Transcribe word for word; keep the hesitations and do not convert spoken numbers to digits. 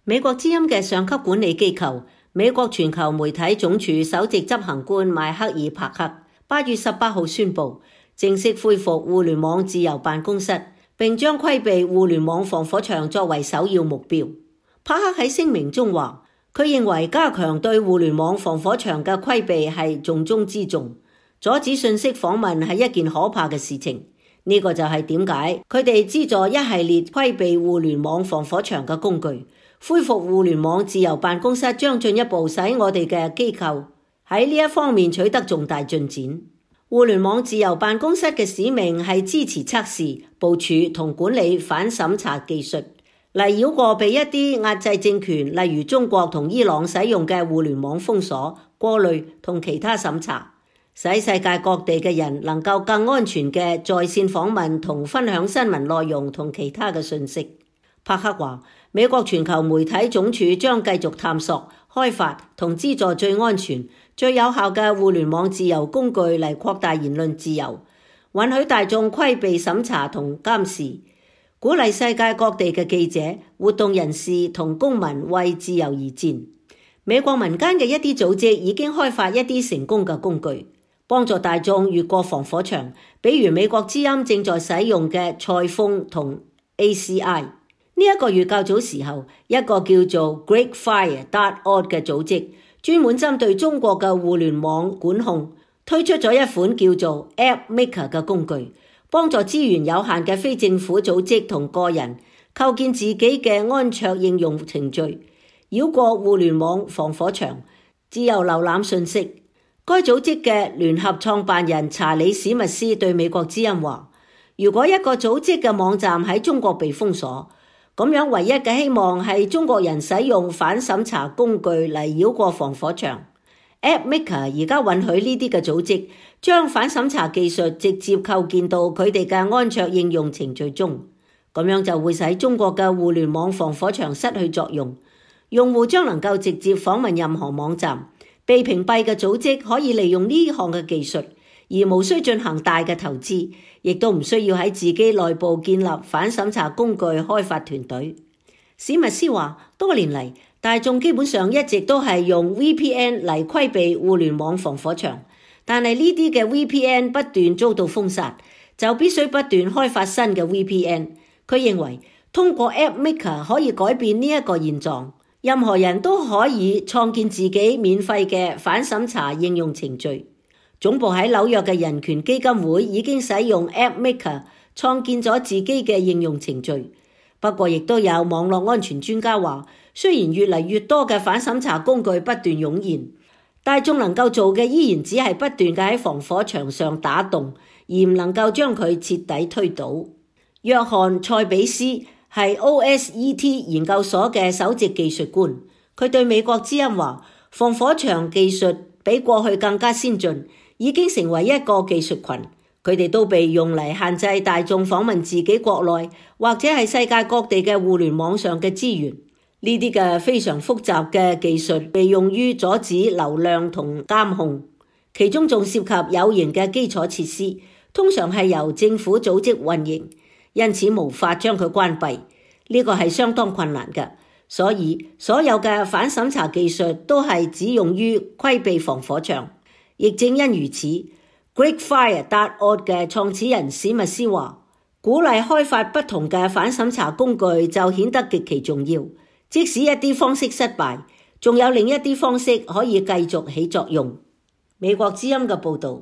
美國之音嘅上級管理機構，美國全球媒體總署首席執行官邁克爾帕克八月十八號宣布，正式恢復互聯網自由辦公室，並將規避互聯網防火牆作為首要目標。帕克喺聲明中話，佢認為加強對互聯網防火牆嘅規避係重中之重，阻止信息訪問係一件可怕嘅事情。呢、這個就係點解佢哋資助一系列規避互聯網防火牆嘅工具。恢復互聯網自由辦公室將進一步使我哋嘅機構喺呢一方面取得重大進展。互聯網自由辦公室嘅使命係支持測試、部署同管理反審查技術，嚟繞過被一啲壓制政權，例如中國同伊朗使用嘅互聯網封鎖、過濾同其他審查，使世界各地嘅人能夠更安全嘅在線訪問同分享新聞內容同其他嘅信息。帕克話，美國全球媒體總署將繼續探索、開發同資助最安全、最有效嘅互聯網自由工具嚟擴大言論自由，允許大眾規避審查同監視，鼓勵世界各地嘅記者、活動人士同公民為自由而戰。美國民間嘅一啲組織已經開發一啲成功嘅工具，幫助大眾越過防火牆，比如美國之音正在使用嘅賽風同 A C I。呢一個月較早時候，一個叫做 Greatfire dot org 嘅組織，專門針對中國嘅互聯網管控，推出咗一款叫做 AppMaker 嘅工具，幫助資源有限嘅非政府組織同個人構建自己嘅安卓應用程序，繞過互聯網防火牆，自由瀏覽信息。該組織嘅聯合創辦人查理史密斯對美國之音話，如果一個組織嘅網站喺中國被封鎖，咁樣唯一嘅希望係中國人使用反審查工具嚟繞過防火牆。AppMaker 而家允許呢啲嘅組織將反審查技術直接構建到佢哋嘅安卓應用程序中，咁樣就會使中國嘅互聯網防火牆失去作用。用戶將能夠直接訪問任何網站，被屏蔽嘅組織可以利用呢項嘅技術，而無需進行大嘅投資，亦都唔需要喺自己內部建立反審查工具開發團隊。史密斯話，多年嚟，大眾基本上一直都係用 V P N 嚟規避互聯網防火牆，但係呢啲嘅 V P N 不斷遭到封殺，就必須不斷開發新嘅 V P N。佢認為通過 AppMaker 可以改變呢一個現狀，任何人都可以創建自己免費嘅反審查應用程序。總部喺紐約嘅人權基金會已經使用 AppMaker 創建咗自己嘅應用程序。不過亦都有網絡安全專家話，雖然越嚟越多嘅反審查工具不斷湧現，大眾能夠做嘅依然只係不斷嘅喺防火牆上打洞，而唔能夠將佢徹底推倒。約翰塞比斯係 O S E T 研究所嘅首席技術官，佢對美國之音話，防火牆技術比過去更加先進，已經成為一個技術群，佢哋都被用嚟限制大眾訪問自己國內或者係世界各地嘅互聯網上嘅資源。呢啲嘅非常複雜嘅技術被用於阻止流量同監控，其中仲涉及有形嘅基礎設施，通常係由政府組織運營，因此無法將佢關閉。呢個係相當困難嘅，所以所有嘅反審查技術都係只用於規避防火牆。亦正因如此 ，Greatfire dot org 嘅創始人史密斯話，鼓勵開發不同嘅反審查工具就顯得極其重要。即使一啲方式失敗，仲有另一啲方式可以繼續起作用。美國之音嘅報導。